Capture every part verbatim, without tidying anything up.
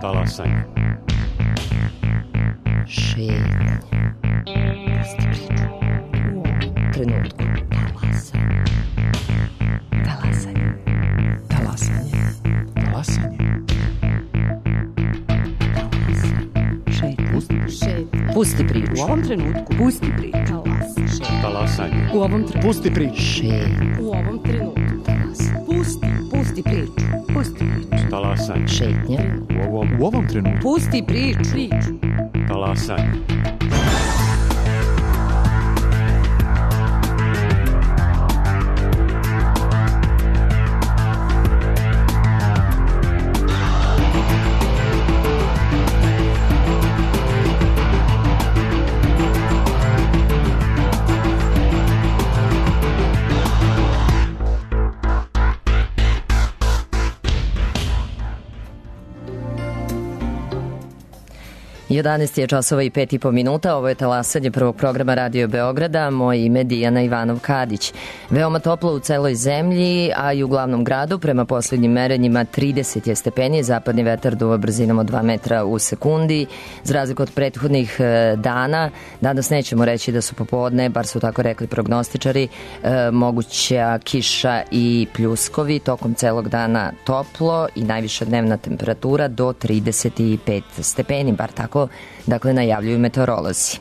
Talasanje. Šetnje. Pusti priču. U ovom trenutku. Talasanje. Talasanje. Talasanje. Talasanje. Šetnje. Pusti priču. U ovom trenutku. Pusti priču. Talasanje. U ovom trenutku. Pusti priču. Šetnje. U ovom trenutku. Talasanje. Pusti. Pusti priču. Pusti priču. Talasanje. Šetnje. U ovom, U ovom trenutku. Pusti priču. Priču. talasanje. jedanaest je časova i pet i po minuta, ovo je talasanje prvog programa Radio Beograda, moje ime Dijana Ivanov-Kadić. Veoma toplo u celoj zemlji, a i u glavnom gradu, prema posljednjim merenjima trideset je stepeni, zapadni vetar duva brzinom od dva metra u sekundi. Za razliku od prethodnih dana, danas nećemo reći da su popodne, bar su tako rekli prognostičari, moguća kiša i pljuskovi, tokom celog dana toplo i najviša dnevna temperatura do trideset pet stepeni, bar tako dakle najavljuju meteorolozi.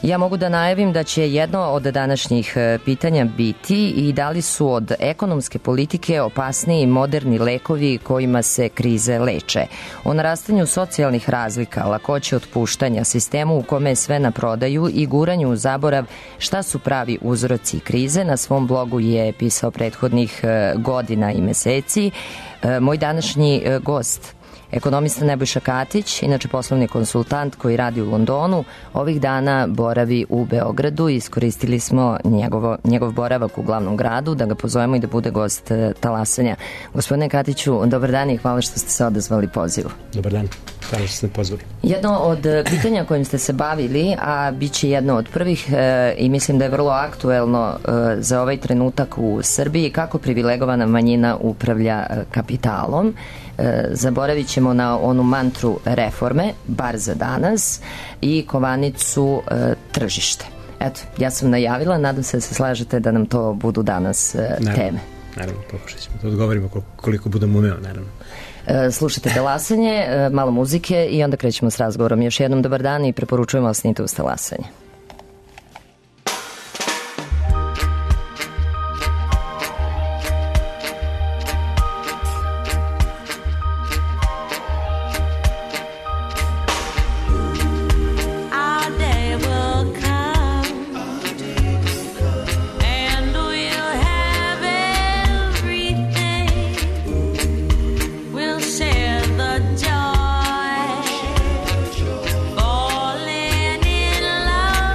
Ja mogu da najavim da će jedno od današnjih pitanja biti i da li su od ekonomske politike opasniji moderni lekovi kojima se krize leče. O narastanju socijalnih razlika, lakoće otpuštanja, sistemu u kome je sve na prodaju i guranju u zaborav šta su pravi uzroci krize, na svom blogu je pisao prethodnih godina i meseci moj današnji gost, ekonomista Nebojša Katić, inače poslovni konsultant koji radi u Londonu, ovih dana boravi u Beogradu i iskoristili smo njegovo, njegov boravak u glavnom gradu da ga pozovemo i da bude gost talasanja. Gospodine Katiću, dobar dan i hvala što ste se odazvali pozivu. Dobar dan, hvala što ste pozvali. Jedno od pitanja kojim ste se bavili, a bit će jedno od prvih e, i mislim da je vrlo aktuelno e, za ovaj trenutak u Srbiji, kako privilegovana manjina upravlja e, kapitalom. Zaboravit ćemo na onu mantru reforme, bar za danas, i kovanicu e, tržište. Eto, ja sam najavila, nadam se da se slažete da nam to budu danas e, naravno, teme. Naravno, pokušat ćemo da odgovorimo koliko budemo umeo, naravno. E, slušajte talasanje, e, malo muzike i onda krećemo s razgovorom. Još jednom dobar dan i preporučujemo ostanite uz talasanje. Falling in love.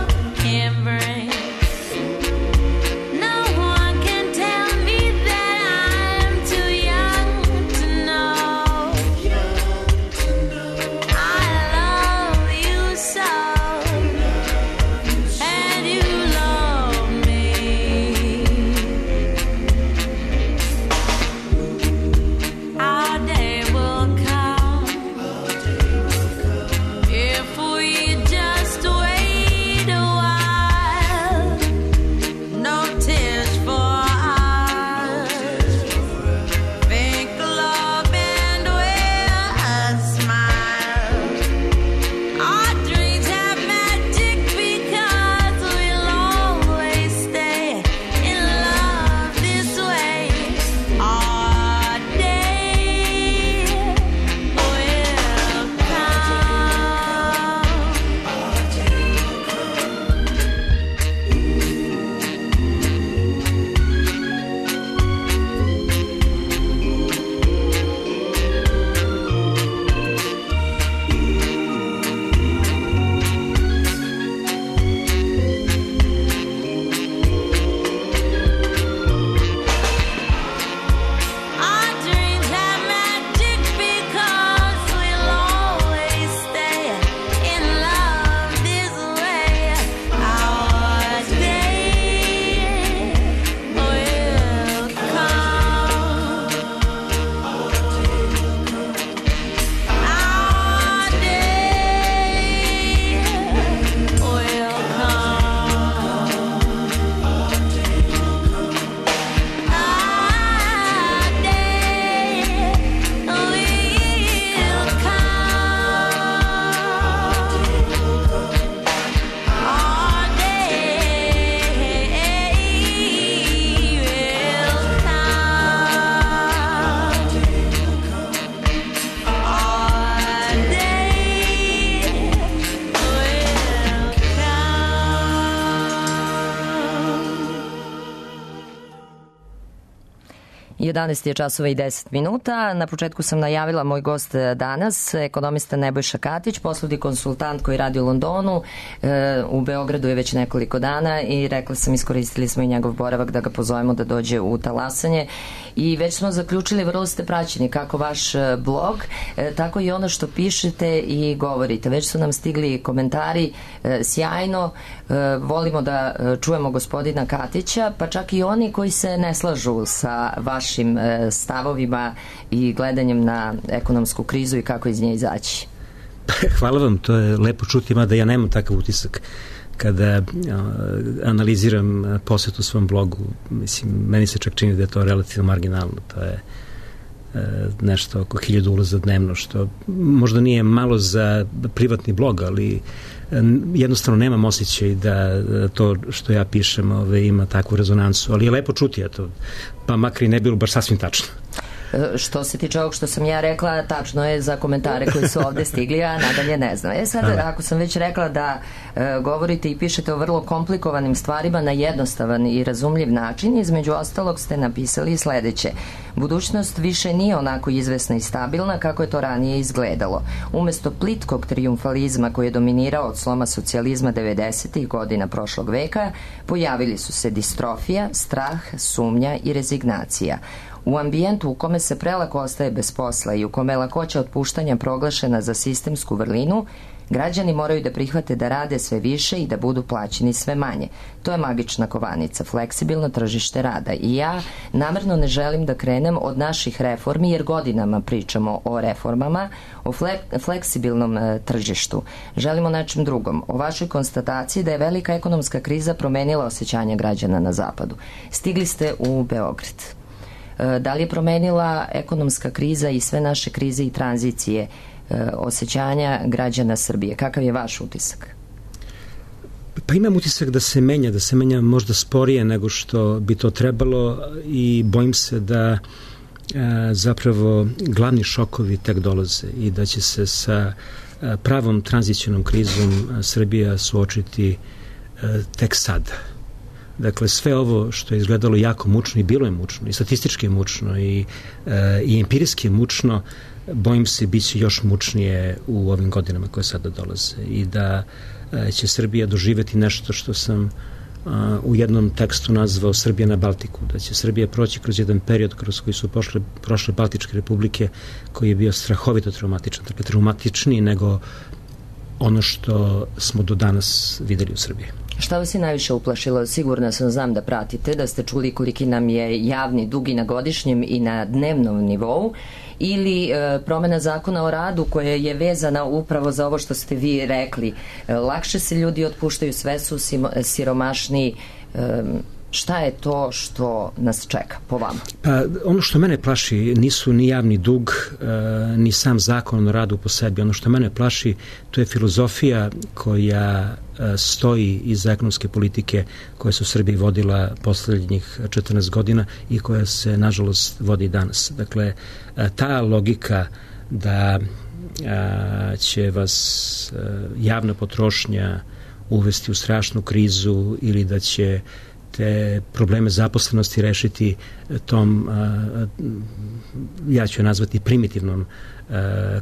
jedanaest je časova i deset minuta. Na početku sam najavila moj gost danas, ekonomista Nebojša Katić, poslovni konsultant koji radi u Londonu. E, u Beogradu je već nekoliko dana i rekla sam, iskoristili smo i njegov boravak da ga pozovemo da dođe u talasanje. I već smo zaključili, vrlo ste praćeni kako vaš blog, e, tako i ono što pišete i govorite. Već su nam stigli komentari, e, sjajno. E, volimo da čujemo gospodina Katića, pa čak i oni koji se ne slažu sa vašim stavovima i gledanjem na ekonomsku krizu i kako iz nje izaći. Hvala vam, to je lepo čuti, mada ja nemam takav utisak kada analiziram posetu svom blogu. Mislim, meni se čak čini da je to relativno marginalno. To je nešto oko hiljadu ulaza dnevno, što možda nije malo za privatni blog, ali jednostavno nemam osjećaj da to što ja pišem ove, ima takvu rezonansu, ali je lepo čuti, eto, pa makar i ne bilo baš sasvim tačno. Što se tiče ovog što sam ja rekla, tačno je za komentare koji su ovde stigli, a nadalje ne znam. E sad, ako sam već rekla da e, govorite i pišete o vrlo komplikovanim stvarima na jednostavan i razumljiv način, između ostalog ste napisali sledeće. Budućnost više nije onako izvesna i stabilna kako je to ranije izgledalo. Umesto plitkog trijumfalizma koji je dominirao od sloma socijalizma devedesetih godina prošlog veka, pojavili su se distrofija, strah, sumnja i rezignacija. U ambijentu u kome se prelako ostaje bez posla i u kome je lakoća otpuštanja proglašena za sistemsku vrlinu, građani moraju da prihvate da rade sve više i da budu plaćeni sve manje. To je magična kovanica, fleksibilno tržište rada. I ja namerno ne želim da krenem od naših reformi, jer godinama pričamo o reformama, o fle- fleksibilnom e, tržištu. Želimo nečem drugom, o vašoj konstataciji da je velika ekonomska kriza promenila osjećanje građana na zapadu. Stigli ste u Beograd. Da li je promenila ekonomska kriza i sve naše krize i tranzicije e, osjećanja građana Srbije? Kakav je vaš utisak? Pa imam utisak da se menja, da se menja možda sporije nego što bi to trebalo i bojim se da e, zapravo glavni šokovi tek dolaze i da će se sa e, pravom tranzicionom krizom Srbija suočiti e, tek sada. Dakle, sve ovo što je izgledalo jako mučno i bilo je mučno, i statistički je mučno, i, e, i empirijski je mučno, bojim se bit će još mučnije u ovim godinama koje sada dolaze i da e, će Srbija doživeti nešto što sam a, u jednom tekstu nazvao Srbija na Baltiku, da će Srbija proći kroz jedan period kroz koji su pošle, prošle Baltičke republike, koji je bio strahovito traumatičan, dakle traumatičniji nego ono što smo do danas videli u Srbiji. Šta vas je najviše uplašilo? Sigurno sam, znam da pratite, da ste čuli koliki nam je javni dug i na godišnjem i na dnevnom nivou, ili e, promena zakona o radu koja je vezana upravo za ovo što ste vi rekli. E, lakše se ljudi otpuštaju, sve su siromašniji. E, šta je to što nas čeka po vama? Pa ono što mene plaši nisu ni javni dug, e, ni sam zakon o radu po sebi. Ono što mene plaši, to je filozofija koja e, stoji iza ekonomske politike koja se u Srbiji vodila poslednjih četrnaest godina i koja se nažalost vodi danas. Dakle, e, ta logika da e, će vas e, javna potrošnja uvesti u strašnu krizu ili da će te probleme zaposlenosti rešiti tom, ja ću je nazvati primitivnom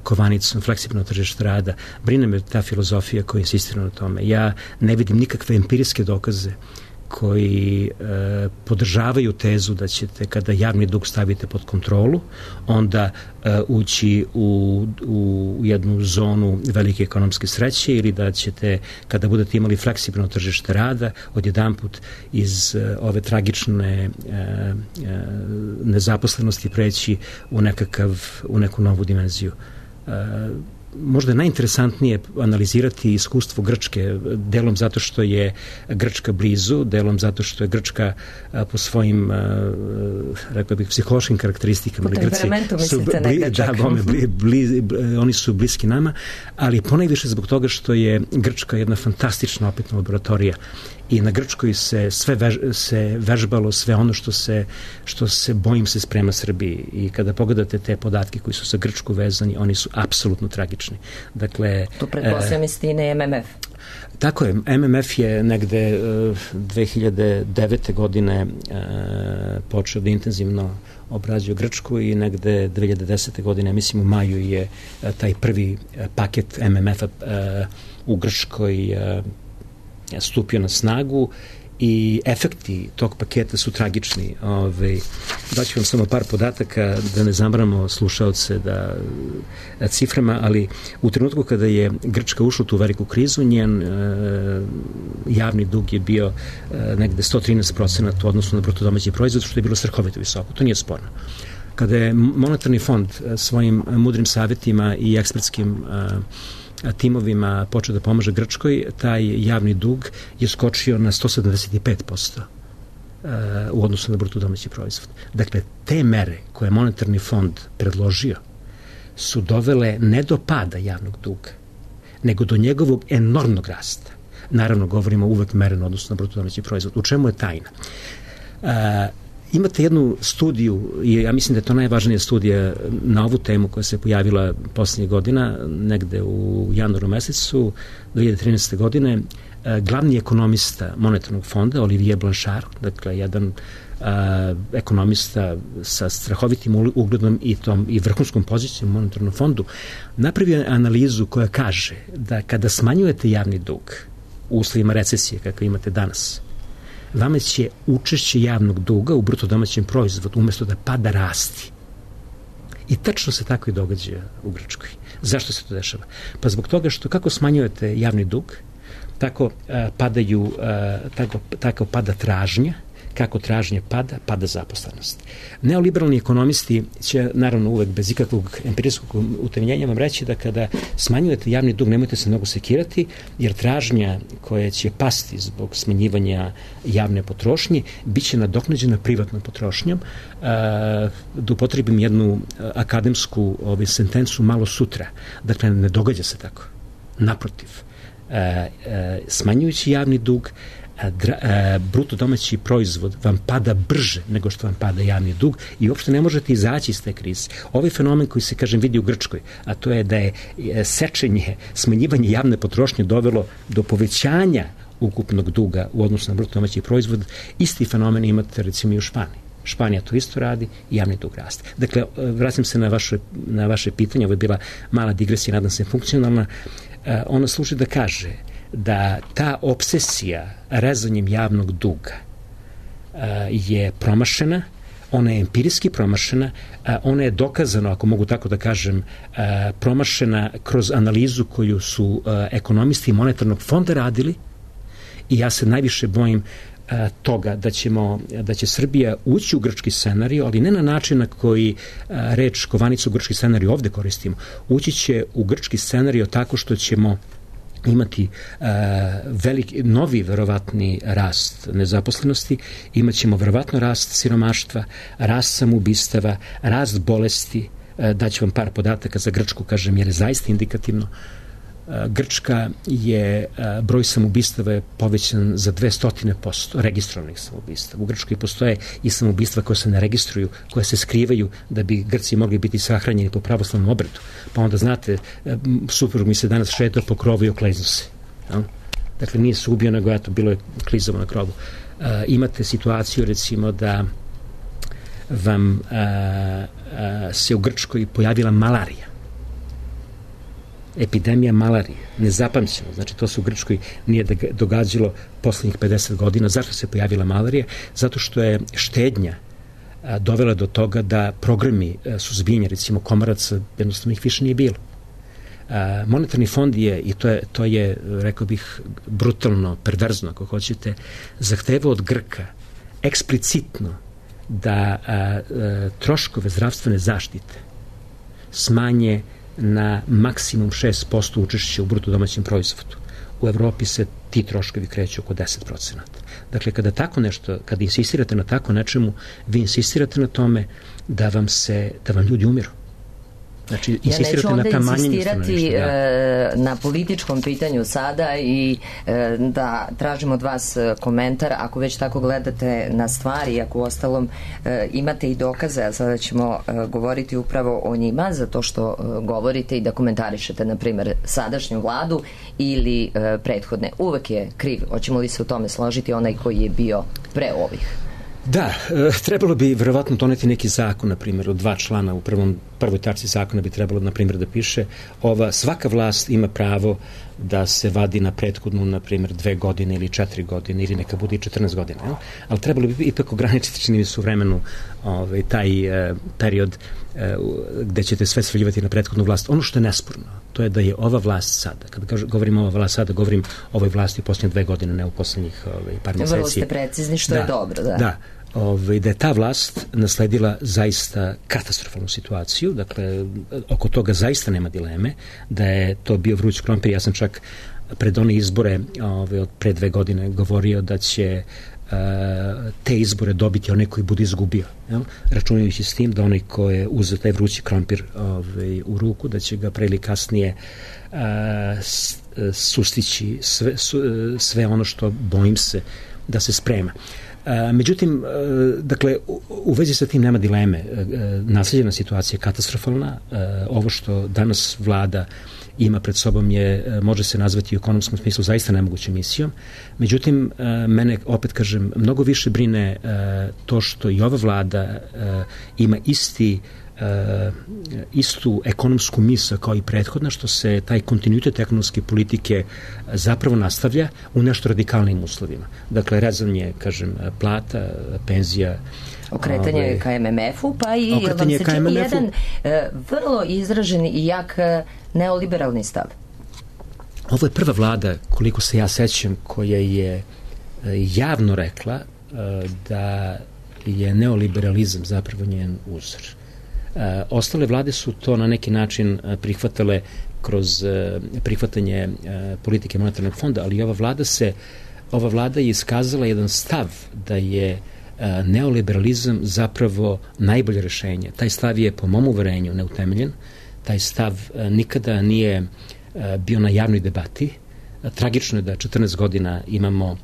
kovanicom, fleksibilno tržište rada. Brine me ta filozofija koja insistira na tome. Ja ne vidim nikakve empirijske dokaze koji e, podržavaju tezu da ćete kada javni dug stavite pod kontrolu, onda e, ući u, u jednu zonu velike ekonomske sreće ili da ćete kada budete imali fleksibilno tržište rada odjedanput iz e, ove tragične e, e, nezaposlenosti preći u nekakav, u neku novu dimenziju. E, možda je najinteresantnije analizirati iskustvo Grčke, delom zato što je Grčka blizu, delom zato što je Grčka a, po svojim a, rekao bih psihološkim karakteristikama. Po temperamentu mislite na Grčak. Da, bome, bli, bli, bli, oni su bliski nama, ali ponajviše zbog toga što je Grčka jedna fantastična opetna laboratorija i na Grčkoj se sve vež, se vežbalo sve ono što se, što se bojim se sprema Srbiji i kada pogledate te podatke koji su sa Grčku vezani, oni su apsolutno tragični. Dakle, tu pretpostavljam istine M M F. Tako je, M M F je negde uh, dve hiljade devete godine uh, počeo da intenzivno obrađuje Grčku i negde dve hiljade desete. godine, mislim u maju je taj prvi paket M M F-a u Grčkoj stupio na snagu i efekti tog paketa su tragični. Ove, daću vam samo par podataka da ne zamaramo slušaoce da, da ciframa, ali u trenutku kada je Grčka ušla u tu veliku krizu, njen e, javni dug je bio e, negde sto trinaest procenata u odnosu na bruto domaći proizvod, što je bilo strahovito visoko. To nije sporno. Kada je monetarni fond svojim mudrim savjetima i ekspertskim e, timovima počeo da pomaže Grčkoj, taj javni dug je skočio na sto sedamdeset pet posto u odnosu na bruto domaći proizvod. Dakle, te mere koje je monetarni fond predložio su dovele ne do pada javnog duga, nego do njegovog enormnog rasta. Naravno, govorimo uvek mereno odnosno na bruto domaći proizvod. U čemu je tajna? Imate jednu studiju, i ja mislim da je to najvažnija studija na ovu temu koja se pojavila poslednjih godina, negde u januaru mesecu dve hiljade trinaeste. godine. Glavni ekonomista monetarnog fonda, Olivier Blanchard, dakle jedan a, ekonomista sa strahovitim ugledom i, tom, i vrhunskom pozicijom u monetarnom fondu, napravio analizu koja kaže da kada smanjujete javni dug u uslovima recesije kakve imate danas, vama će učešće javnog duga u bruto domaćem proizvodu umesto da pada rasti. I tačno se tako i događa u Grčkoj. Zašto se to dešava? Pa zbog toga što kako smanjujete javni dug, tako a, padaju, a, tako, tako pada tražnja, kako tražnje pada, pada zaposlenost. Neoliberalni ekonomisti će, naravno uvek bez ikakvog empirijskog utemeljenja vam reći da kada smanjujete javni dug nemojte se mnogo sekirati, jer tražnja koja će pasti zbog smanjivanja javne potrošnje bit će nadoknađena privatnom potrošnjom. Da upotrebim jednu akademsku ovaj, sentencu malo sutra. Dakle, ne događa se tako. Naprotiv, smanjujući javni dug, bruto domaći proizvod vam pada brže nego što vam pada javni dug i uopšte ne možete izaći iz te krize. Ovaj fenomen koji se, kažem, vidi u Grčkoj, a to je da je sečenje, smanjivanje javne potrošnje dovelo do povećanja ukupnog duga u odnosu na bruto domaći proizvod, isti fenomen imate recimo i u Španiji. Španija to isto radi i javni dug raste. Dakle, vraćam se na vaše, na vaše pitanje, ovo je bila mala digresija, nadam se funkcionalna. Ona služi da kaže da ta obsesija rezanjem javnog duga je promašena, ona je empirijski promašena, ona je dokazano, ako mogu tako da kažem, promašena kroz analizu koju su ekonomisti monetarnog fonda radili i ja se najviše bojim toga da ćemo, da će Srbija ući u grčki scenarij, ali ne na način na koji reč kovanicu grčki scenarij ovde koristimo. Ući će u grčki scenarij tako što ćemo imati uh, veliki, novi verovatni rast nezaposlenosti, imat ćemo verovatno rast siromaštva, rast samoubistava, rast bolesti. Uh, daću vam par podataka za Grčku, kažem, jer je zaista indikativno. Uh, Grčka je, uh, broj samoubistava je povećan za dvesta posto registrovanih samoubistava. U Grčkoj postoje i samoubistva koje se ne registruju, koje se skrivaju da bi Grci mogli biti sahranjeni po pravoslavnom obredu. Pa onda, znate, suprug mi se danas šetao po krovu i okliznuo se. Ja? Dakle, nije se ubio, nego eto, bilo je klizavo na krovu. Uh, imate situaciju, recimo, da vam uh, uh, se u Grčkoj pojavila malarija. Epidemija malarije, nezapamćeno, znači to se u Grčkoj nije događalo poslednjih pedeset godina. Zašto se pojavila malarija? Zato što je štednja a, dovela do toga da programi a, suzbijanja, recimo komaraca, jednostavno ih više nije bilo. A, monetarni fond je, i to je, to je, rekao bih, brutalno, perverzno, ako hoćete, zahtevao od Grka eksplicitno da a, a, troškove zdravstvene zaštite smanje na maksimum šest posto učešća u bruto domaćem proizvodu. U Evropi se ti troškovi kreću oko deset procenata. Dakle, kada tako nešto, kada insistirate na tako nečemu, vi insistirate na tome da vam se, da vam ljudi umiru. Znači, insistirate ja na neću onda insistirati da. na političkom pitanju sada i da tražim od vas komentar, ako već tako gledate na stvari, ako u ostalom imate i dokaze, a sada ćemo govoriti upravo o njima, zato što govorite i da komentarišete, na primer, sadašnju vladu ili prethodne. Uvek je kriv, hoćemo li se u tome složiti, onaj koji je bio pre ovih? Da, e, trebalo bi verovatno doneti neki zakon, na primjer, od dva člana u prvom, prvoj tačci zakona bi trebalo, na primjer, da piše ova, svaka vlast ima pravo da se vadi na prethodnu, na primjer, dve godine ili četiri godine ili neka bude i četrnaest godina. Jel? Ali trebalo bi ipak ograničiti, čini mi se, u vremenu ovaj, taj e, period e, gde ćete sve svaljivati na prethodnu vlast. Ono što je nesporno, to je da je ova vlast sada, kada govorim ova vlast sada, govorim o ovoj vlasti u posljednje dve godine, ne u posljednjih ovaj, par mjeseci. Vrlo ste precizni, što da, je dobro. Da, da. Ovaj, da je ta vlast nasledila zaista katastrofalnu situaciju, dakle, oko toga zaista nema dileme, da je to bio vruć krompir. Ja sam čak pred one izbore ovaj, od pre dve godine govorio da će uh, te izbore dobiti onaj koji bude izgubio, jel? Računajući s tim da onaj ko je uzeo taj vrući krompir ovaj, u ruku, da će ga pre ili kasnije uh, sustići sve, su, sve ono što, bojim se, da se sprema. Uh, međutim, uh, dakle, u, u vezi sa tim nema dileme. Uh, naslijeđena situacija je katastrofalna. Uh, ovo što danas vlada ima pred sobom je, uh, može se nazvati u ekonomskom smislu zaista nemogućom misijom. Međutim, uh, mene, opet kažem, mnogo više brine uh, to što i ova vlada uh, ima isti Uh, istu ekonomsku misao kao i prethodna, što se taj kontinuitet ekonomske politike zapravo nastavlja u nešto radikalnim uslovima. Dakle, rezanje, kažem, plata, penzija, okretanje ove, ka em em efu, pa i vam se čini jedan uh, vrlo izražen i jak uh, neoliberalni stav. Ovo je prva vlada, koliko se ja sećam, koja je uh, javno rekla uh, da je neoliberalizam zapravo njen uzor. Uh, ostale vlade su to na neki način uh, prihvatale kroz uh, prihvatanje uh, politike monetarnog fonda, ali ova vlada se ova vlada je iskazala jedan stav da je uh, neoliberalizam zapravo najbolje rešenje. Taj stav je po mom uverenju neutemeljen. Taj stav uh, nikada nije uh, bio na javnoj debati. Uh, tragično je da četrnaest godina imamo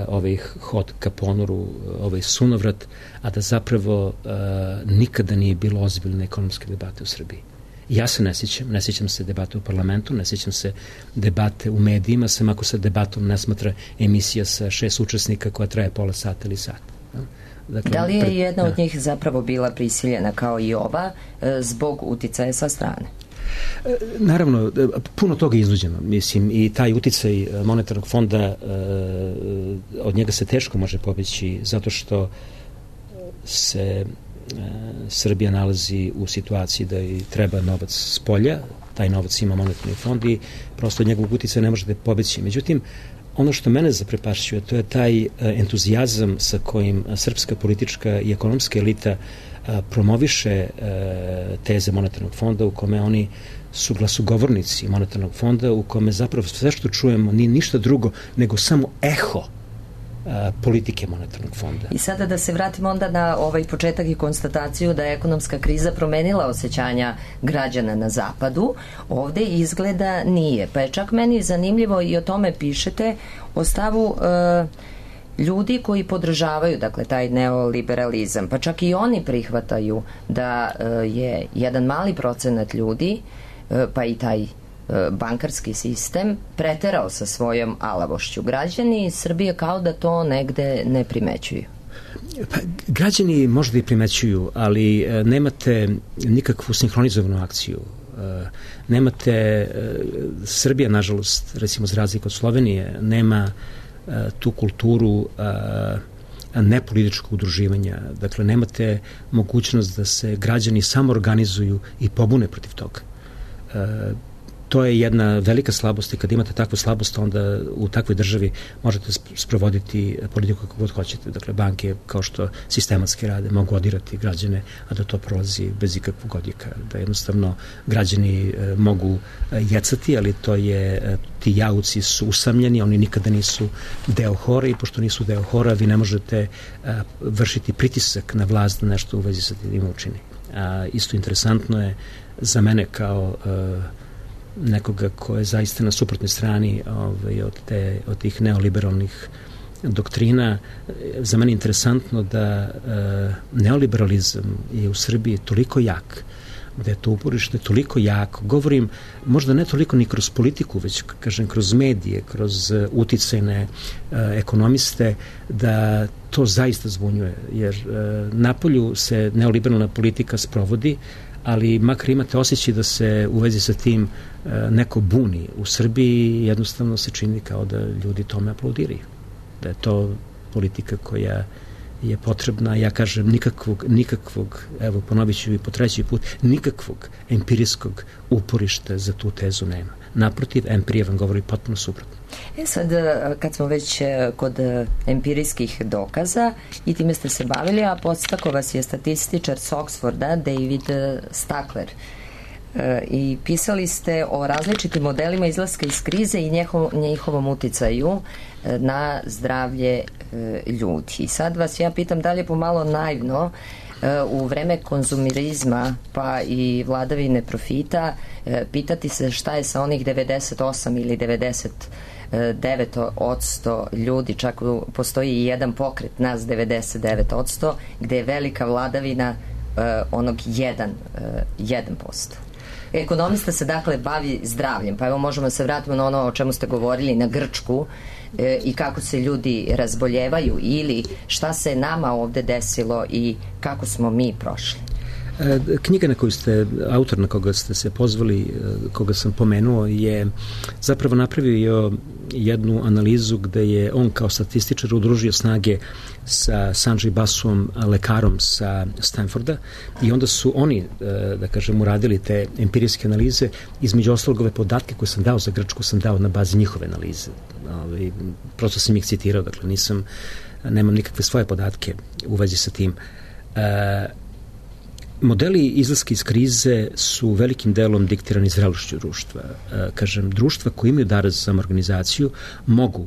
ovaj hod ka ponoru, ovaj sunovrat, a da zapravo uh, nikada nije bilo ozbiljne ekonomske debate u Srbiji. Ja se ne sjećam, ne sjećam se debate u parlamentu, ne sjećam se debate u medijima, sem ako se debatom ne smatra emisija sa šest učesnika koja traje pola sata ili sat. Dakle, da li je pred, jedna da. od njih zapravo bila prisiljena kao i ova zbog uticaja sa strane? Naravno, puno toga je iznuđeno, mislim, i taj uticaj monetarnog fonda, od njega se teško može pobeći, zato što se Srbija nalazi u situaciji da i treba novac s polja, taj novac ima monetarni fond i prosto od njegovog uticaja ne možete pobeći. Međutim, ono što mene zaprepašćuje, to je taj entuzijazam sa kojim srpska politička i ekonomska elita promoviše teze monetarnog fonda, u kome oni su glasugovornici monetarnog fonda, u kome zapravo sve što čujemo nije ništa drugo nego samo eho politike monetarnog fonda. I sada da se vratimo onda na ovaj početak i konstataciju da je ekonomska kriza promenila osjećanja građana na zapadu, ovde izgleda nije. Pa je čak meni zanimljivo i o tome pišete, o stavu uh, ljudi koji podržavaju, dakle, taj neoliberalizam, pa čak i oni prihvataju da uh, je jedan mali procenat ljudi, uh, pa i taj bankarski sistem preterao sa svojom alavošću. Građani Srbije kao da to negde ne primećuju. Pa, građani možda i primećuju, ali e, nemate nikakvu sinhronizovanu akciju. E, nemate, e, Srbija, nažalost, recimo za razliku od Slovenije, nema e, tu kulturu e, nepolitičkog udruživanja. Dakle, nemate mogućnost da se građani samoorganizuju i pobune protiv toga. E, To je jedna velika slabost i kad imate takvu slabost, onda u takvoj državi možete sprovoditi politiku kako god hoćete. Dakle, banke, kao što sistematski rade, mogu odirati građane, a da to prolazi bez ikakvog odjeka. Da jednostavno građani e, mogu e, jecati, ali to je, e, ti jauci su usamljeni, oni nikada nisu deo hora i pošto nisu deo hora, vi ne možete e, vršiti pritisak na vlast da nešto u vezi sa tim učini. A, isto interesantno je za mene kao e, nekoga ko je zaista na suprotnoj strani ovaj, od, te, od tih neoliberalnih doktrina. Za mene je interesantno da e, neoliberalizam je u Srbiji toliko jak da je to uporište toliko jako. Govorim, možda ne toliko ni kroz politiku, već, kažem, kroz medije, kroz uh, uticajne uh, ekonomiste, da to zaista zbunjuje, jer uh, napolju se neoliberalna politika sprovodi, ali makar imate osjećaj da se u vezi sa tim uh, neko buni. U Srbiji jednostavno se čini kao da ljudi tome aplaudiraju. Da je to politika koja je potrebna, ja kažem, nikakvog, nikakvog, evo ponovit ću i po treći put, nikakvog empirijskog uporišta za tu tezu nema. Naprotiv, empirija vam govori potpuno suprotno. E sad, kad smo već kod empirijskih dokaza i time ste se bavili, a podstakao vas je statističar s Oxforda, David Stackler. I pisali ste o različitim modelima izlaska iz krize i njehov, njihovom uticaju na zdravlje ljudi. I sad vas ja pitam da li je pomalo naivno u vreme konzumerizma pa i vladavine profita pitati se šta je sa onih devedeset osam ili devedeset devet posto ljudi, čak postoji i jedan pokret nas devedeset devet posto gde je velika vladavina onog jedan posto. Ekonomista se dakle bavi zdravljem, pa evo možemo se vratiti na ono o čemu ste govorili, na Grčku e, i kako se ljudi razboljevaju ili šta se nama ovde desilo i kako smo mi prošli. Knjiga na koju ste, autor na koga ste se pozvali, koga sam pomenuo, je zapravo napravio jednu analizu gde je on kao statističar udružio snage sa Sanjay Basuom, lekarom sa Stanforda, i onda su oni, da kažem, uradili te empirijske analize. Između ostalog, ove podatke koje sam dao za Grčku sam dao na bazi njihove analize. Prosto sam ih citirao, dakle nisam, nemam nikakve svoje podatke u vezi sa tim. Modeli izlaska iz krize su velikim delom diktirani zrelošću društva. E, kažem, društva koji imaju dar za samoorganizaciju mogu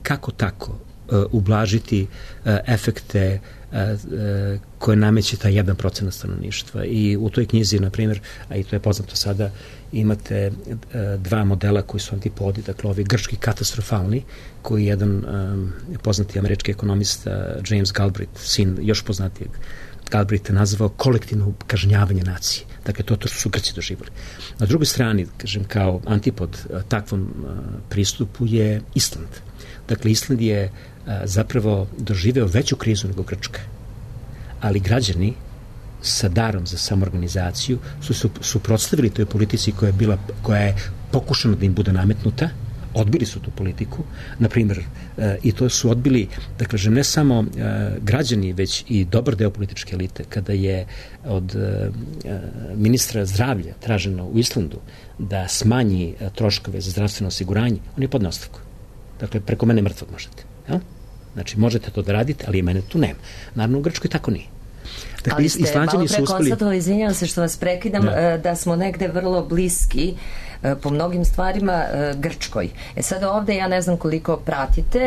kako tako e, ublažiti e, efekte e, koje nameće taj jedan procenat stanovništva. I u toj knjizi, na primjer, a i to je poznato sada, imate e, dva modela koji su antipodi, dakle ovi grčki katastrofalni, koji je jedan e, poznati američki ekonomista James Galbraith, sin još poznatijeg Galbraith je nazvao kolektivno kažnjavanje nacije. Dakle, to, to su Grci doživali. Na drugoj strani, kažem, kao antipod takvom pristupu je Island. Dakle, Island je zapravo doživeo veću krizu nego Grčka. Ali građani sa darom za samoorganizaciju su se suprotstavili toj politici koja je, bila, koja je pokušana da im bude nametnuta, odbili su tu politiku, na primjer, e, i to su odbili, da kažem, ne samo e, građani, već i dobar deo političke elite. Kada je od e, ministra zdravlja traženo u Islandu da smanji e, troškove za zdravstveno osiguranje, on je podneo ostavku. Dakle, preko mene mrtvog možete. Ja? Znači, možete to da radite, ali mene tu nema. Naravno, u Grčkoj tako nije. Dakle, ali ste malo pre konstatovali, izvinjam se što vas prekidam, da. da smo negde vrlo bliski po mnogim stvarima Grčkoj. E sad ovde, ja ne znam koliko pratite,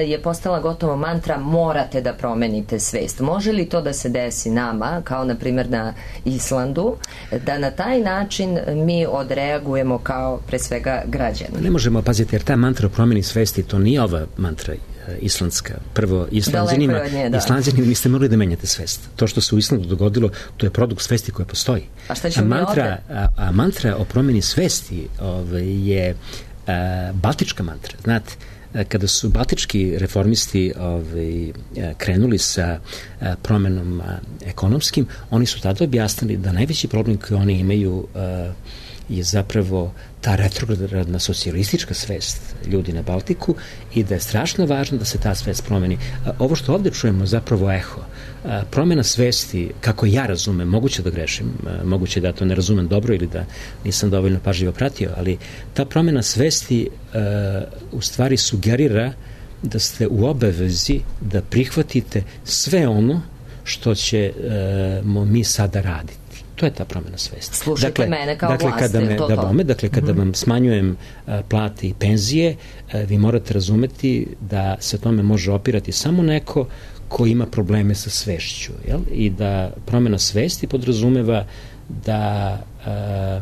je postala gotovo mantra morate da promenite svest. Može li to da se desi nama, kao na primjer na Islandu, da na taj način mi odreagujemo kao pre svega građani? Ne možemo, paziti, jer ta mantra o promeni svesti, to nije ova mantra islandska. Prvo, Islanđanima, da. Islanđanima niste morali da menjate svest. To što se u Islandu dogodilo, to je produkt svesti koja postoji. A šta ćemo mi ovde? A, a mantra o promeni svesti ove, je a, baltička mantra. Znate, a, kada su baltički reformisti ove, a, krenuli sa a, promenom a, ekonomskim, oni su tada objasnili da najveći problem koji oni imaju a, je zapravo ta retrogradna socijalistička svest ljudi na Baltiku i da je strašno važno da se ta svest promeni. Ovo što ovde čujemo zapravo eho. Promena svesti, kako ja razumem, moguće da grešim, moguće da to ne razumem dobro ili da nisam dovoljno pažljivo pratio, ali ta promena svesti u stvari sugerira da ste u obavezi da prihvatite sve ono što ćemo mi sada raditi. To je ta promena svesti. Slušajte dakle, me kao dakle, vlast, kada me, to da, to? Bome, dakle, kada mm-hmm. vam smanjujem a, plate i penzije, a, vi morate razumeti da se tome može opirati samo neko ko ima probleme sa svešću. Jel? I da promena svesti podrazumeva da a, a,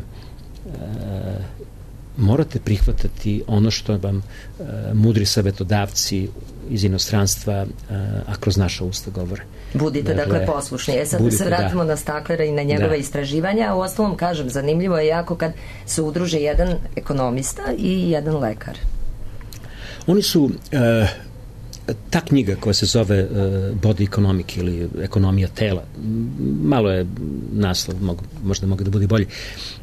morate prihvatati ono što vam a, mudri savetodavci iz inostranstva, a, a kroz naša usta govore. Budite dakle, dakle poslušni. E sad budite, da se vratimo da. na Staklera i na njegove da. istraživanja. U ostalom, kažem, zanimljivo je jako kad se udruže jedan ekonomista i jedan lekar. Oni su... Uh, ta knjiga koja se zove uh, Body Economic ili ekonomija tela, malo je naslov, mogu, možda mogu da bude bolje,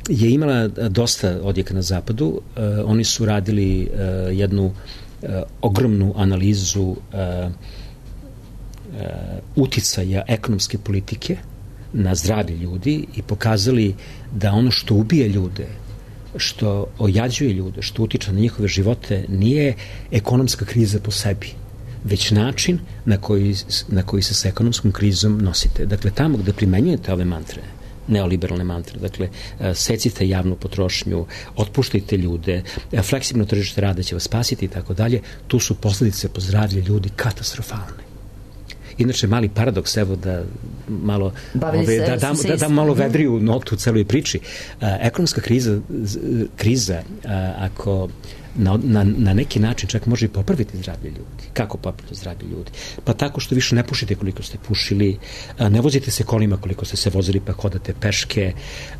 je imala dosta odjeka na zapadu. Uh, oni su radili uh, jednu uh, ogromnu analizu uh, uh, uticaja ekonomske politike na zdravlje ljudi i pokazali da ono što ubije ljude, što ojađuje ljude, što utiče na njihove živote, nije ekonomska kriza po sebi, već način na koji, na koji se sa ekonomskom krizom nosite. Dakle, tamo gde primenjujete ove mantre, neoliberalne mantre, dakle, secite javnu potrošnju, otpuštajte ljude, fleksibilno tržište rada će vas spasiti i tako dalje, tu su posledice po zdravlje ljudi katastrofalne. Inače, mali paradoks, evo da malo ove, da dam, da dam malo vedriju notu u celoj priči. A, ekonomska kriza, kriza a, ako na, na, na neki način čak može i popraviti zdravlje ljudi. Kako popraviti zdravlje ljudi? Pa tako što više ne pušite koliko ste pušili, a, ne vozite se kolima koliko ste se vozili, pa hodate peške,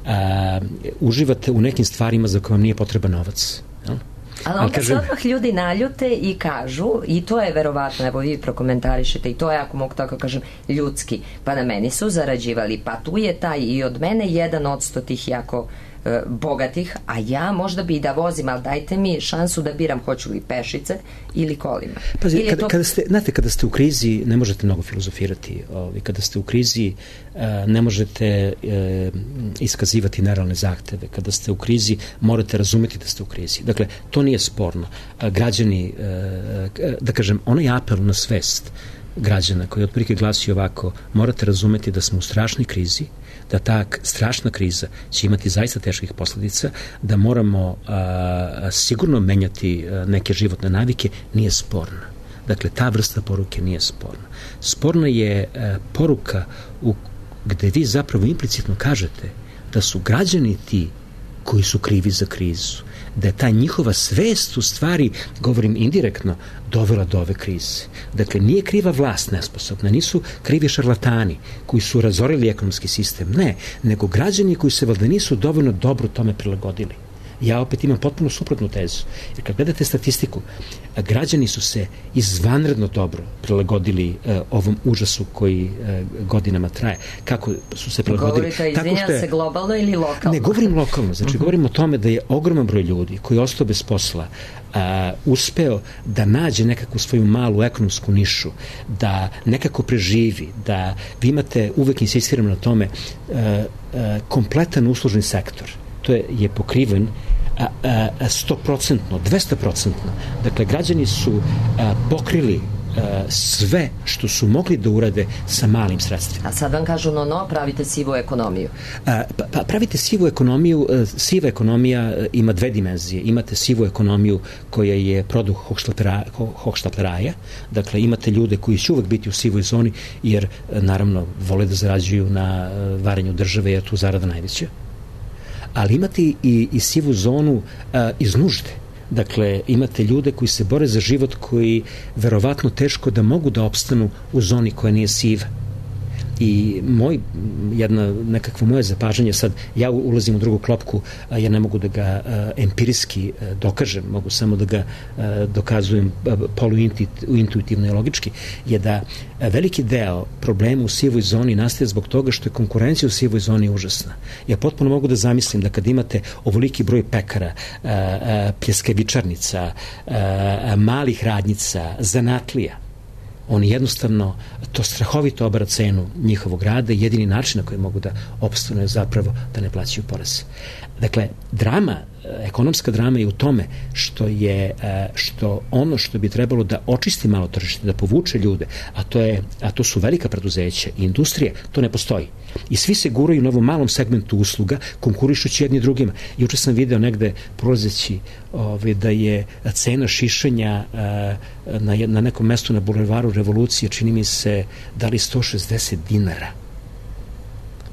a, uživate u nekim stvarima za koje vam nije potreban novac. Jel? Ali onda kažem, se odmah ljudi naljute i kažu, i to je verovatno, evo vi prokomentarišete, i to je, ako mogu tako kažem, ljudski, pa na meni su zarađivali, pa tu je taj i od mene jedan odsto tih jako e, bogatih, a ja možda bi i da vozim, ali dajte mi šansu da biram hoću li pešice ili kolima. Pazi, ili kada, to... kada ste, znate, kada ste u krizi ne možete mnogo filozofirati, ovi, kada ste u krizi a, ne možete e, iskazivati nerealne zahteve, kada ste u krizi morate razumeti da ste u krizi. Dakle, to nije sporno. A, građani, e, da kažem, onaj apel na svest građana koji otprilike glasi ovako, morate razumeti da smo u strašnoj krizi, da ta strašna kriza će imati zaista teških posledica, da moramo a, sigurno menjati a, neke životne navike, nije sporna. Dakle, ta vrsta poruke nije sporna. Sporna je a, poruka u, gde vi zapravo implicitno kažete da su građani ti koji su krivi za krizu, da je ta njihova svest u stvari, govorim indirektno, dovela do ove krize. Dakle, nije kriva vlast nesposobna, nisu krivi šarlatani koji su razorili ekonomski sistem, ne, nego građani koji se valjda nisu dovoljno dobro tome prilagodili. Ja opet imam potpuno suprotnu tezu. Jer kad gledate statistiku, građani su se izvanredno dobro prilagodili uh, ovom užasu koji uh, godinama traje. Kako su se prilagodili? Govorite, izvinjam se, globalno ili lokalno? Ne, govorim lokalno. Znači, uh-huh. govorim o tome da je ogroman broj ljudi koji je ostao bez posla, uh, uspeo da nađe nekakvu svoju malu ekonomsku nišu, da nekako preživi, da vi imate, uvek insistiram na tome, uh, uh, kompletan uslužni sektor. To je, je pokriven sto procentno, dvesta procentno. Dakle, građani su a, pokrili a, sve što su mogli da urade sa malim sredstvima. A sad vam kažu, no, no, pravite sivu ekonomiju. A, pa, pa pravite sivu ekonomiju, a, siva ekonomija a, ima dve dimenzije. Imate sivu ekonomiju koja je produkt hohštapleraja, dakle, imate ljude koji će uvek biti u sivoj zoni, jer, a, naravno, vole da zarađuju na a, varenju države, jer tu zarada najveća. Ali imate i, i sivu zonu a, iz nužde. Dakle, imate ljude koji se bore za život, koji verovatno teško da mogu da opstanu u zoni koja nije siva. I moj, jedna nekakvo moje zapažanje, sad ja ulazim u drugu klopku, a ja ne mogu da ga a, empirijski a, dokažem, mogu samo da ga a, dokazujem poluintuitivno i logički, je da a, veliki deo problema u sivoj zoni nastaje zbog toga što je konkurencija u sivoj zoni užasna. Ja potpuno mogu da zamislim da kad imate ovoliki broj pekara, a, a, pljeskavičarnica, a, a, malih radnjica, zanatlija, oni jednostavno to strahovito obara cenu njihovog rada i jedini način na koji mogu da opstanu je zapravo da ne plaćaju poreze. Dakle, drama, ekonomska drama je u tome što je što ono što bi trebalo da očisti malo tržište, da povuče ljude, a to je a to su velika preduzeća i industrije, to ne postoji. I svi se guraju na ovom malom segmentu usluga, konkurišući jedni drugima. Juče sam video negde prolazeći ove, da je cena šišanja a, na, na nekom mestu na bulevaru Revolucije, čini mi se, dali sto šezdeset dinara.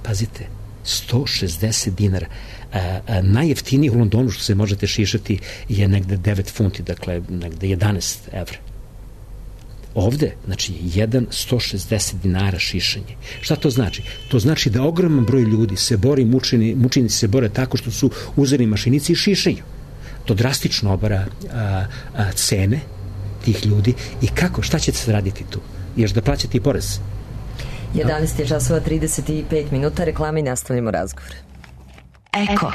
Pazite, sto šezdeset dinara. A, a, najjeftiniji u Londonu što se možete šišati je negde devet funti, dakle negde jedanaest evra. Ovde, znači, jedan sto šezdeset dinara šišanje. Šta to znači? To znači da ogroman broj ljudi se bori, mučeni, mučenici se bore tako što su uzeli mašinici i šišaju. To drastično obara a, a, cene tih ljudi i kako, šta ćete se raditi tu? Još da plaćate i porez? jedanaest je časova trideset pet minuta, reklama i nastavljamo razgovor. Eko.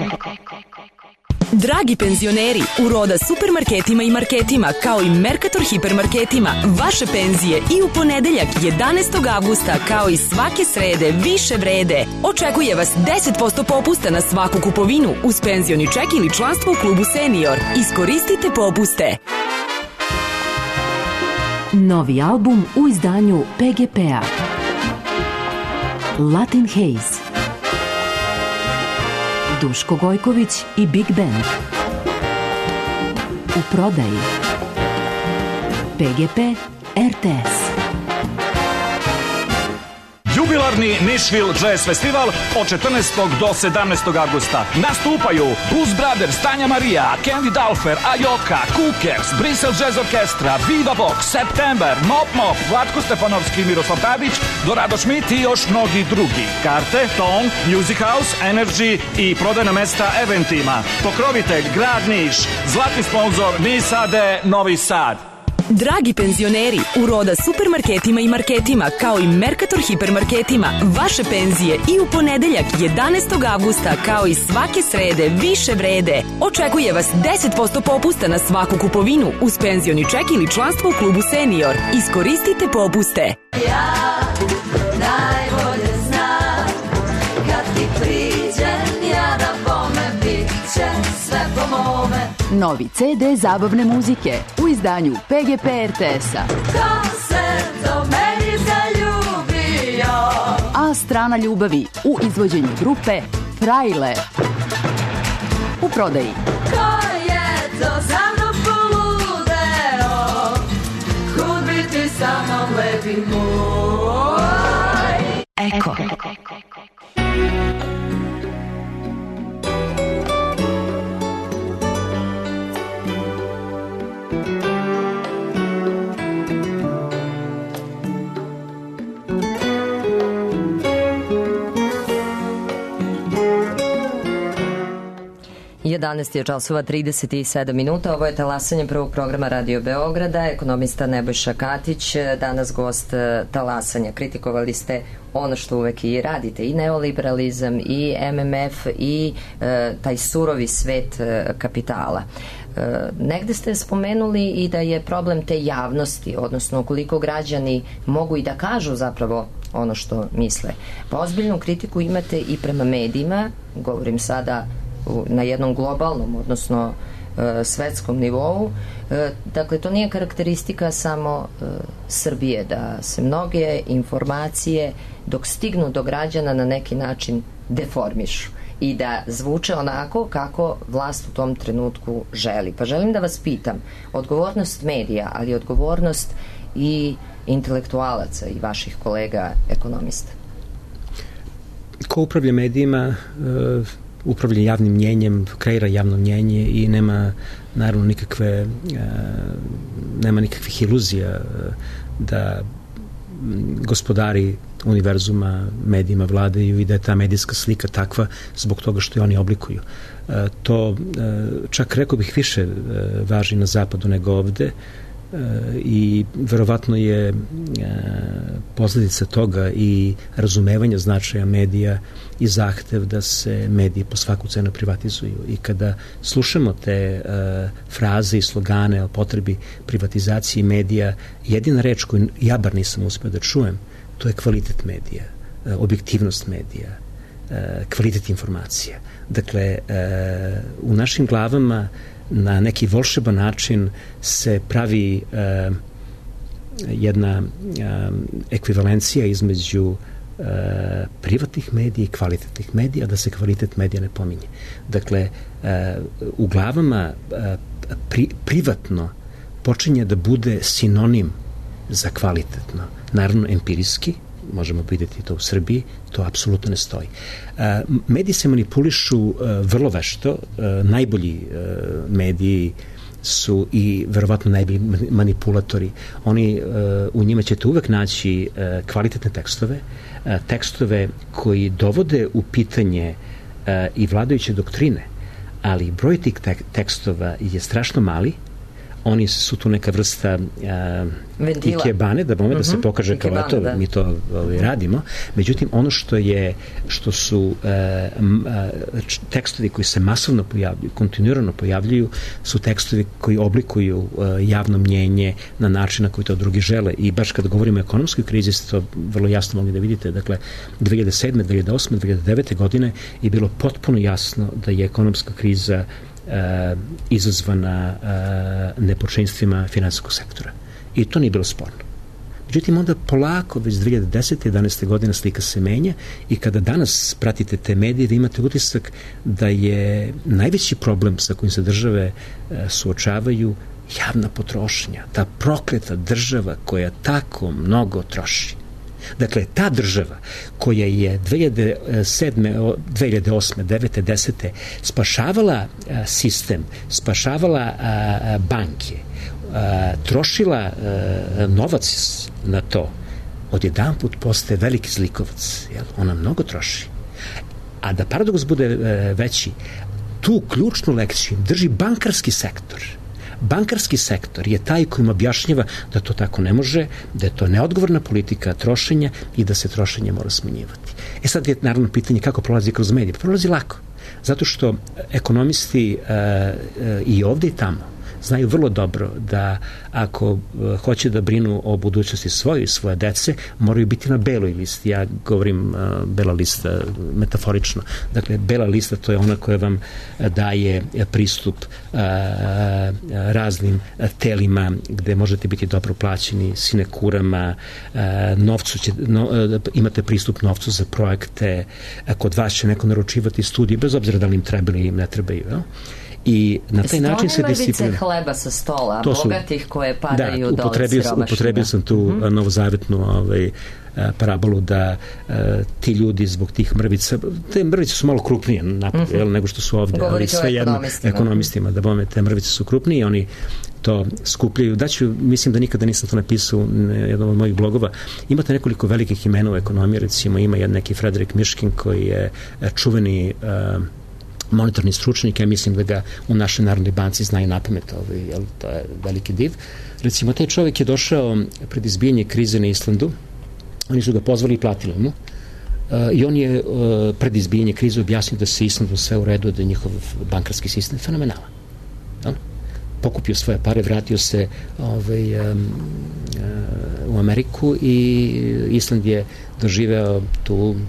Dragi penzioneri, u Roda supermarketima i marketima, kao i Mercator hipermarketima, vaše penzije i u ponedeljak jedanaestog avgusta, kao i svake srede, više vrede. Očekuje vas deset posto popusta na svaku kupovinu uz penzioni ček ili članstvo u klubu Senior. Iskoristite popuste. Novi album u izdanju P G P-a. Latin Haze. Duško Gojković i Big Band. U prodaji. P G P R T S. Jubilarni Nashville Jazz Festival od četrnaestog do sedamnaestog avgusta. Nastupaju Blues Brothers, Tanja Marija, Candy Dulfer, Ajoka, Cookers, Bristol Jazz Orkestra, Viva Vox, September, Mop Mop, Vlatko Stefanovski i Miroslav Tadić, Dorado Schmidt i još mnogi drugi. Karte, Tone, Music House, Energy i prodajna mesta eventima. Pokrovitelj Grad Niš, zlatni sponzor Nisade Novi Sad. Dragi penzioneri, u Roda supermarketima i marketima, kao i Mercator hipermarketima, vaše penzije i u ponedeljak jedanaestog avgusta, kao i svake srede, više vrede. Očekuje vas deset posto popusta na svaku kupovinu uz penzioni ček ili članstvo u klubu Senior. Iskoristite popuste. Ja najbolje znam, kad ti priđem, ja da bome bit će sve po mome. Novi C D zabavne muzike u izdanju P G P R T S-a. Ko se do meni zaljubio? A strana ljubavi u izvođenju grupe Frajle. U prodaji. Ko je to za mnom poludeo? Kud bi ti sa mnom lepi moj? Eko. jedanaest je časova trideset sedam minuta. Ovo je talasanje prvog programa Radio Beograda. Ekonomista Nebojša Katić, danas gost talasanja. Kritikovali ste ono što uvek i radite, i neoliberalizam, i M M F, i e, taj surovi svet e, kapitala. E, negde ste spomenuli i da je problem te javnosti, odnosno koliko građani mogu i da kažu zapravo ono što misle. Pa ozbiljnu kritiku imate i prema medijima, govorim sada na jednom globalnom, odnosno e, svetskom nivou. E, dakle, to nije karakteristika samo e, Srbije, da se mnoge informacije dok stignu do građana na neki način deformišu i da zvuče onako kako vlast u tom trenutku želi. Pa želim da vas pitam, odgovornost medija, ali odgovornost i intelektualaca i vaših kolega ekonomista. Ko upravlja medijima, e, upravlja javnim mnjenjem, kreira javno mnjenje i nema naravno nikakve e, nema nikakvih iluzija da gospodari univerzuma medijima vladaju i da je ta medijska slika takva zbog toga što je oni oblikuju. E, to e, čak rekao bih više e, važi na zapadu nego ovde i verovatno je posledica toga i razumevanja značaja medija i zahtev da se mediji po svaku cenu privatizuju. I kada slušamo te fraze i slogane o potrebi privatizacije medija, jedina reč koju ja bar nisam uspeo da čujem, to je kvalitet medija, objektivnost medija, kvalitet informacija. Dakle, u našim glavama na neki volšeban način se pravi uh, jedna uh, ekvivalencija između uh, privatnih medija i kvalitetnih medija, da se kvalitet medija ne pominje. Dakle, uh, u glavama uh, pri, privatno počinje da bude sinonim za kvalitetno. Naravno, empirijski, možemo vidjeti to u Srbiji, to apsolutno ne stoji. E, mediji se manipulišu e, vrlo vešto, e, najbolji e, mediji su i verovatno najbolji manipulatori. Oni, u njima ćete uvek naći kvalitetne tekstove, tekstove koji dovode u pitanje i vladajuće doktrine, ali broj tih tekstova je strašno mali. Oni su tu neka vrsta uh, ikebane, da bome, uh-huh. da se pokaže kao eto, da. mi to ovaj, radimo. Međutim, ono što je, što su uh, m, uh, tekstovi koji se masovno pojavljuju, kontinuirano pojavljuju, su tekstovi koji oblikuju uh, javno mnjenje na način na koji to drugi žele. I baš kada govorimo o ekonomskoj krizi, ste to vrlo jasno mogli da vidite. Dakle, dve hiljade sedme, dve hiljade osme, dve hiljade devete godine je bilo potpuno jasno da je ekonomska kriza Uh, izazvana uh, nepočinjstvima finansijskog sektora. I to nije bilo sporno. Međutim, onda polako, već dve hiljade desete. jedanaeste. godine slika se menja i kada danas pratite te medije, vi imate utisak da je najveći problem sa kojim se države uh, suočavaju javna potrošnja. Ta prokleta država koja tako mnogo troši. Dakle, ta država koja je dve hiljade sedme, dve hiljade osme, devete, desete spašavala a, sistem, spašavala a, banke, a, trošila a, novac na to, odjedanput postaje veliki zlikovac. Jel? Ona mnogo troši. A da paradoks bude a, veći, tu ključnu lekciju drži bankarski sektor. Bankarski sektor je taj kojim objašnjava da to tako ne može, da je to neodgovorna politika trošenja i da se trošenje mora smanjivati. E sad je naravno pitanje kako prolazi kroz medije. Prolazi lako, zato što ekonomisti uh, uh, i ovde i tamo znaju vrlo dobro da ako uh, hoće da brinu o budućnosti svoje i svoje dece, moraju biti na beloj listi. Ja govorim uh, bela lista metaforično. Dakle, bela lista to je ona koja vam uh, daje uh, pristup uh, raznim uh, telima gde možete biti dobro plaćeni, sinekurama, uh, novcu će, no, uh, imate pristup novcu za projekte, uh, kod vas će neko naručivati studije, bez obzira da li im trebaju ili im ne trebaju. No? I na taj način se disciplina. Hleba sa stola, to su, bogatih koje padaju da, dole siromašnjima. Upotrebio sam tu mm-hmm. novozavetnu ovaj, parabolu da uh, ti ljudi zbog tih mrvica, te mrvice su malo krupnije napad, mm-hmm. jel, nego što su ovde, ali sve jedno ekonomistima, da bome te mrvice su krupnije i oni to skupljaju. Daću, mislim da nikada nisam to napisao u jednom od mojih blogova. Imate nekoliko velikih imena u ekonomiji, recimo ima jedan neki Frederik Mishkin koji je čuveni uh, monetarni stručnik, ja mislim da ga u našoj Narodnoj banci znaju napamet, ovaj, jel, to je veliki div. Recimo, taj čovjek je došao pred izbijanje krize na Islandu, oni su ga pozvali i platili mu, uh, i on je uh, pred izbijanje krize objasnio da se Islandu sve u redu, da je njihov bankarski sistem fenomenalan. Jel? Pokupio svoje pare, vratio se ovaj, um, uh, u Ameriku i Island je doživeo tu um,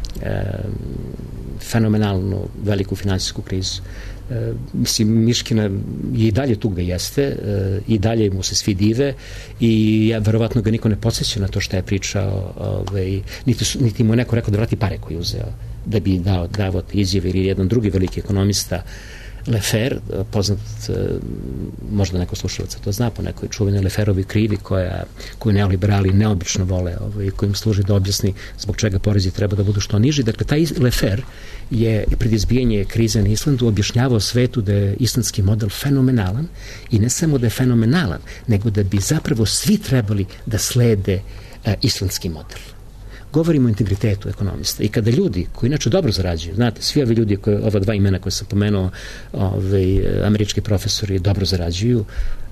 fenomenalnu veliku finansijsku krizu. E, mislim, Miškina je i dalje tu gde jeste, e, i dalje mu se svi dive i ja, verovatno ga niko ne podsjeća na to šta je pričao, ovaj, niti, su, niti mu je neko rekao da vrati pare koje je uzeo da bi dao, dao izjave, ili jedan drugi veliki ekonomista Lefer, poznat, možda neko slušalaca to zna, po nekoj čuvenoj Leferovi krivi koja, koju neoliberali neobično vole, ovaj, kojim služi da objasni zbog čega porezi treba da budu što niži. Dakle, taj Lefer je pred izbijanje krize na Islandu objašnjavao svetu da je islandski model fenomenalan i ne samo da je fenomenalan, nego da bi zapravo svi trebali da slede uh, islandski model. Govorimo o integritetu ekonomista i kada ljudi koji inače dobro zarađuju, znate, svi ovi ljudi, koje, ova dva imena koje sam pomenuo, ovaj, američki profesori dobro zarađuju,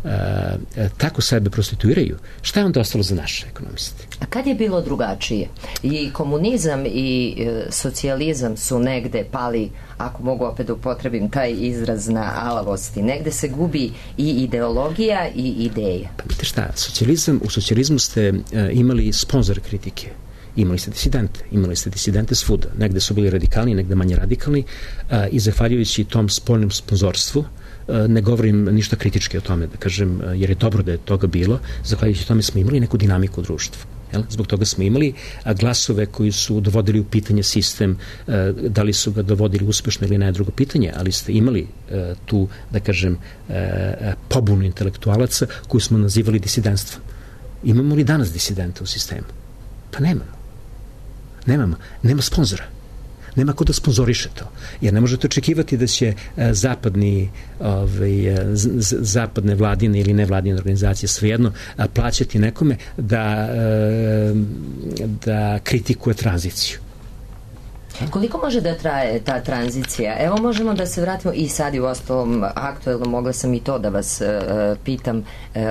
a, a, tako sebe prostituiraju, šta je onda ostalo za naše ekonomiste? A kad je bilo drugačije? I komunizam i e, socijalizam su negde pali, ako mogu opet upotrebim taj izraz, na alavosti. Negde se gubi i ideologija i ideja. Pa vidite šta, socijalizam, u socijalizmu ste e, imali sponzor kritike. Imali ste disidente, imali ste disidente svuda. Negde su bili radikalni, negde manje radikalni, a, i zahvaljujući tom spoljnom sponzorstvu, a, ne govorim ništa kritički o tome, da kažem, jer je dobro da je toga bilo, zahvaljujući tome smo imali neku dinamiku u društvu. Jel? Zbog toga smo imali a, glasove koji su dovodili u pitanje sistem, a, da li su ga dovodili uspešno ili ne, drugo pitanje, ali ste imali a, tu, da kažem, a, pobunu intelektualaca koju smo nazivali disidentstvom. Imamo li danas disidente u sistemu? Pa nemamo. Nemamo. Nema sponzora. nema ko da sponzoriše to. Jer ne možete očekivati da će zapadni, ovaj, zapadne vladine ili nevladine organizacije svejedno plaćati nekome da, da kritikuje tranziciju. Koliko može da traje ta tranzicija? Evo možemo da se vratimo i sad i u ostalom aktuelno, mogla sam i to da vas uh, pitam, uh,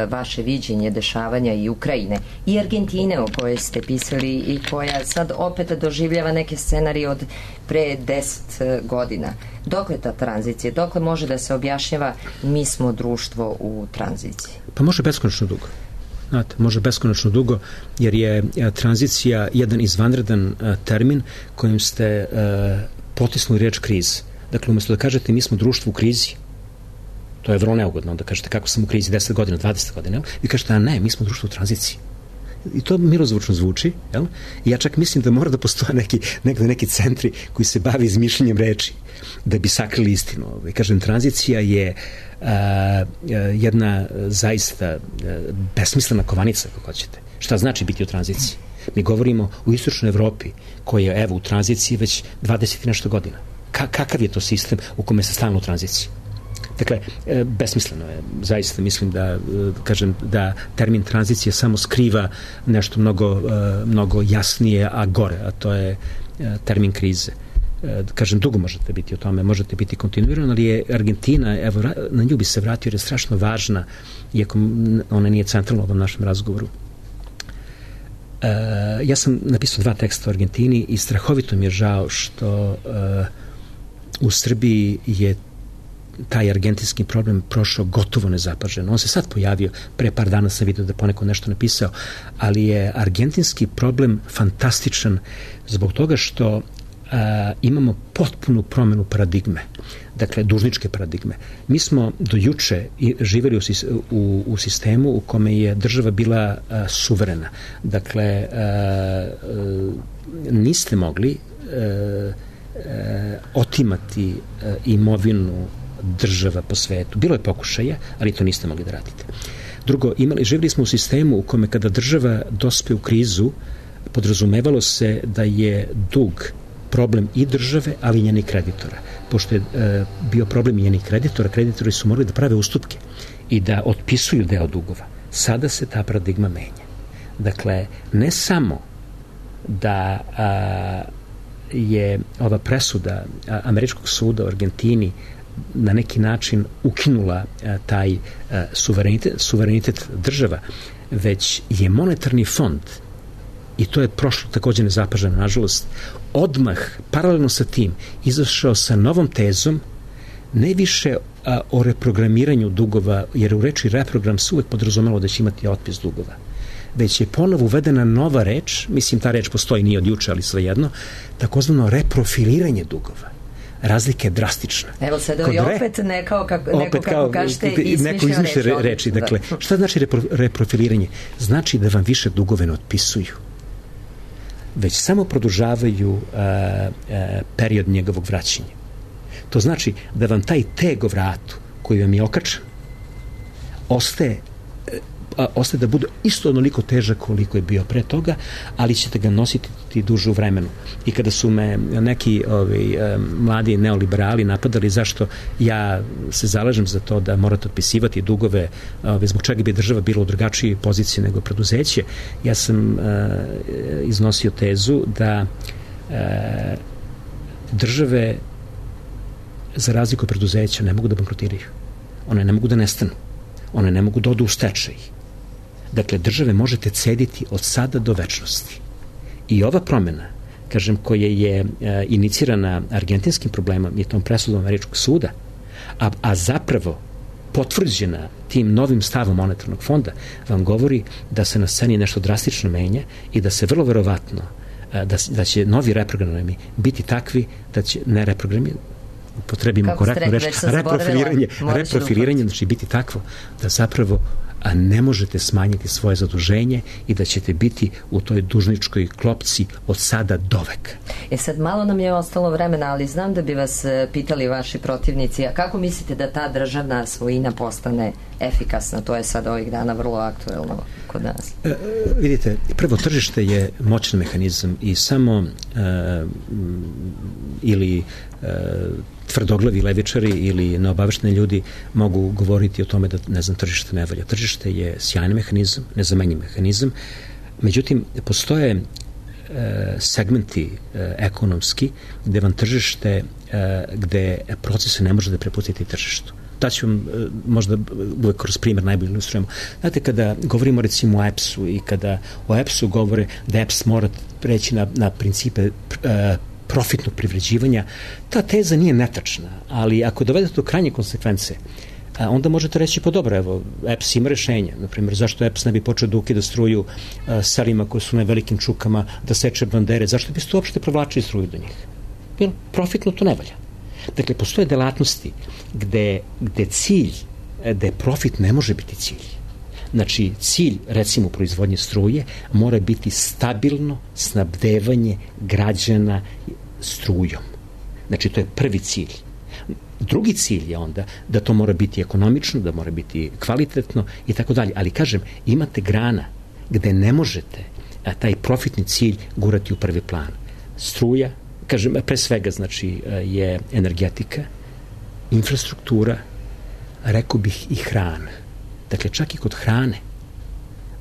vaše viđenje dešavanja i Ukrajine i Argentine o kojoj ste pisali i koja sad opet doživljava neke scenarije od pre deset godina. Dokle ta tranzicija? Dokle može da se objašnjava mi smo društvo u tranziciji? Pa može beskonačno dugo. Znate, može beskonačno dugo, jer je a, tranzicija jedan izvanredan a, termin kojim ste a, potisnuli reč kriz. Dakle, umjesto da kažete mi smo društvo u krizi, to je vrlo neugodno, da kažete kako sam u krizi deset godina, dvadeset godina, vi kažete, a ne, mi smo društvo u tranziciji. I to milozvučno zvuči, jel? I ja čak mislim da mora da postoje neki, neki, neki centri koji se bavi izmišljanjem reči da bi sakrili istinu. I kažem, tranzicija je a, a, jedna zaista a, besmislena kovanica, kako hoćete. Šta znači biti u tranziciji? Mi govorimo u istočnoj Evropi, koja je, evo, u tranziciji već dvadeset i nešto godina. Ka, kakav je to sistem u kome se stalno u tranziciji? Dakle, besmisleno je. Zaista mislim da, kažem, da termin tranzicije samo skriva nešto mnogo, mnogo jasnije, a gore, a to je termin krize. Kažem, dugo možete biti o tome, možete biti kontinuirano, ali je Argentina, evo, na nju bi se vratio jer je strašno važna, iako ona nije centralna u ovom našem razgovoru. Ja sam napisao dva teksta o Argentini i strahovito mi je žao što u Srbiji je taj argentinski problem prošao gotovo nezapaženo. On se sad pojavio, pre par dana sam vidio da poneko nešto napisao, ali je argentinski problem fantastičan zbog toga što a, imamo potpunu promenu paradigme, dakle dužničke paradigme. Mi smo do juče živjeli u, u, u sistemu u kome je država bila a, suverena. Dakle, a, a, niste mogli a, a, otimati a, imovinu država po svetu. Bilo je pokušaja, ali to niste mogli da radite. Drugo, imali, živjeli smo u sistemu u kome kada država dospe u krizu, podrazumevalo se da je dug problem i države, ali i njenih kreditora. Pošto je e, bio problem i njenih kreditora, kreditori su morali da prave ustupke i da otpisuju deo dugova. Sada se ta paradigma menja. Dakle, ne samo da a, je ova presuda a, Američkog suda u Argentini na neki način ukinula a, taj a, suverenitet, suverenitet država, već je monetarni fond, i to je prošlo također nezapaženo, nažalost, odmah, paralelno sa tim, izašao sa novom tezom, ne više a, o reprogramiranju dugova, jer u reči reprogram se uvek podrazumelo da će imati otpis dugova, već je ponovo uvedena nova reč, mislim ta reč postoji nije od juče, ali svejedno, takozvano reprofiliranje dugova. Razlika je drastična. Evo sada i opet re, neko kako, neko opet kako kao, kažete neko izmišlja reči. reči. Dakle, da. Šta znači repro, reprofiliranje? Znači da vam više dugove ne otpisuju, već samo produžavaju a, a, period njegovog vraćanja. To znači da vam taj teg o vratu koji vam je okačan ostaje a, ostaje da bude isto onoliko težak koliko je bio pre toga, ali ćete ga nositi duže u vremenu. I kada su me neki ovi, mladi neoliberali napadali zašto ja se zalažem za to da morate otpisivati dugove, ovi, zbog čega bi država bila u drugačijoj poziciji nego preduzeće, ja sam a, iznosio tezu da a, države za razliku od preduzeća ne mogu da bankrotiraju. One ne mogu da nestanu. One ne mogu da odu u stečaj. Dakle, države možete cediti od sada do večnosti. I ova promjena, kažem, koja je e, inicirana argentinskim problemom i tom presudom Američkog suda, a, a zapravo potvrđena tim novim stavom monetarnog fonda, vam govori da se na sceni nešto drastično menja i da se vrlo verovatno e, da, da će novi reprogrami biti takvi da će ne reprogrami upotrebimo korektno reći, reprofiliranje, reprofiliranje znači biti takvo da zapravo a ne možete smanjiti svoje zaduženje i da ćete biti u toj dužničkoj klopci od sada doveka. E sad, malo nam je ostalo vremena, ali znam da bi vas pitali vaši protivnici, a kako mislite da ta državna svojina postane efikasna? To je sad ovih dana vrlo aktuelno kod nas. E, vidite, prvo, tržište je moćan mehanizam i samo e, ili e, tvrdoglavi levičari ili neobavešteni ljudi mogu govoriti o tome da, ne znam, tržište ne valja. Tržište je sjajni mehanizam, nezamenjiv mehanizam, međutim, postoje e, segmenti e, ekonomski gde vam tržište, e, gde procese ne može da prepustiti tržištu. Da ću vam e, možda uvek kroz primjer najbolje ilustrujemo. Znate, kada govorimo recimo o E P S-u i kada o E P S-u govore da E P S mora preći na, na principe e, profitnog privređivanja, ta teza nije netačna, ali ako dovedete do krajnje konsekvence, a, onda možete reći, pa dobro, evo, E P S ima rešenja. Naprimjer, zašto E P S ne bi počeo da ukida struju a, selima koji su na velikim čukama, da seče bandere, zašto biste uopšte provlačili struju do njih? Jer profitno to ne valja. Dakle, postoje delatnosti gde, gde cilj, gde profit ne može biti cilj. Znači, cilj, recimo, proizvodnje struje mora biti stabilno snabdevanje građana strujom. Znači, to je prvi cilj. Drugi cilj je onda da to mora biti ekonomično, da mora biti kvalitetno i tako dalje. Ali, kažem, imate grana gde ne možete a, taj profitni cilj gurati u prvi plan. Struja, kažem, pre svega, znači, je energetika, infrastruktura, rekao bih i hrana. Dakle, čak i kod hrane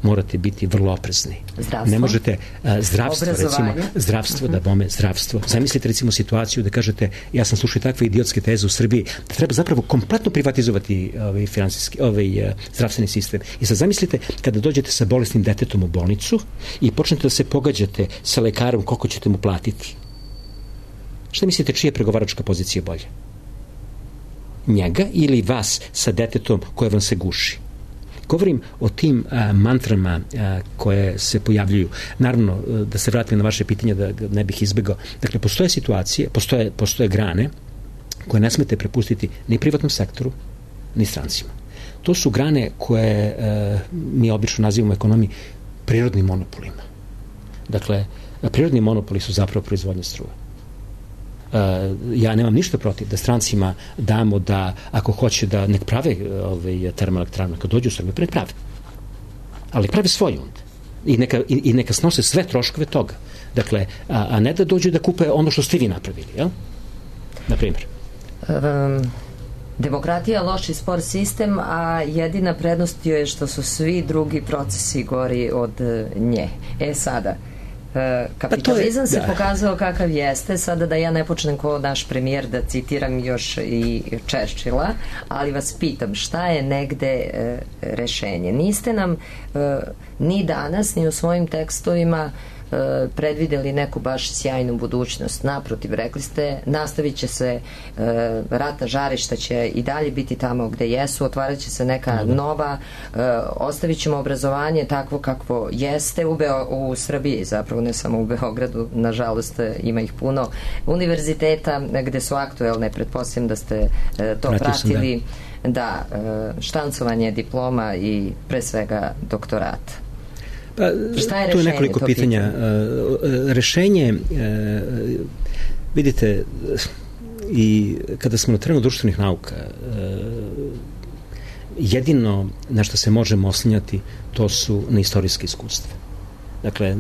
morate biti vrlo oprezni. Zdravstvo? Ne možete, uh, zdravstvo, recimo, zdravstvo, uh-huh. da bome, zdravstvo. Zamislite, recimo, situaciju da kažete, ja sam slušao takve idiotske teze u Srbiji, da treba zapravo kompletno privatizovati ovaj, finansijski, ovaj, uh, zdravstveni sistem. I sad zamislite, kada dođete sa bolesnim detetom u bolnicu i počnete da se pogađate sa lekarom koliko ćete mu platiti. Šta mislite, čija je pregovaračka pozicija bolja? Njega ili vas sa detetom koje vam se guši? Govorim o tim a, mantrama a, koje se pojavljuju. Naravno, da se vratim na vaše pitanje, da ne bih izbegao. Dakle, postoje situacije, postoje, postoje grane koje ne smete prepustiti ni privatnom sektoru, ni strancima. To su grane koje a, mi obično nazivamo u ekonomiji prirodnim monopolima. Dakle, prirodni monopoli su zapravo proizvodnje struje. Uh, ja nemam ništa protiv da strancima damo da, ako hoće da nek prave ovaj, termoelektranu, kad dođu u Srbiju, nek prave. Ali prave svoj onda. I neka, i, i neka snose sve troškove toga. Dakle, a, a ne da dođu da kupe ono što ste vi napravili, jel? Na primjer. Um, demokratija, loš i spor sistem, a jedina prednost je što su svi drugi procesi gori od nje. E sada, kapitalizam se pokazao kakav jeste, sada da ja ne počnem kao naš premijer da citiram još i Churchilla, ali vas pitam, šta je negde e, rešenje? Niste nam e, ni danas, ni u svojim tekstovima e, predvideli neku baš sjajnu budućnost. Naprotiv, rekli ste, nastavit će se e, ratna žarišta će i dalje biti tamo gde jesu, otvarat će se neka mm. nova, e, ostavit ćemo obrazovanje takvo kakvo jeste u, Beo, u Srbiji, zapravo ne samo u Beogradu, nažalost ima ih puno univerziteta gde su aktuelne, pretpostavljam da ste e, to Pratio pratili, sam, da, da e, štancovanje diploma i pre svega doktorata. Pa, tu je nekoliko pitanja. Pitanje? Rešenje, vidite, i kada smo na terenu društvenih nauka, jedino na što se možemo oslanjati, to su na istorijske iskustva. Dakle,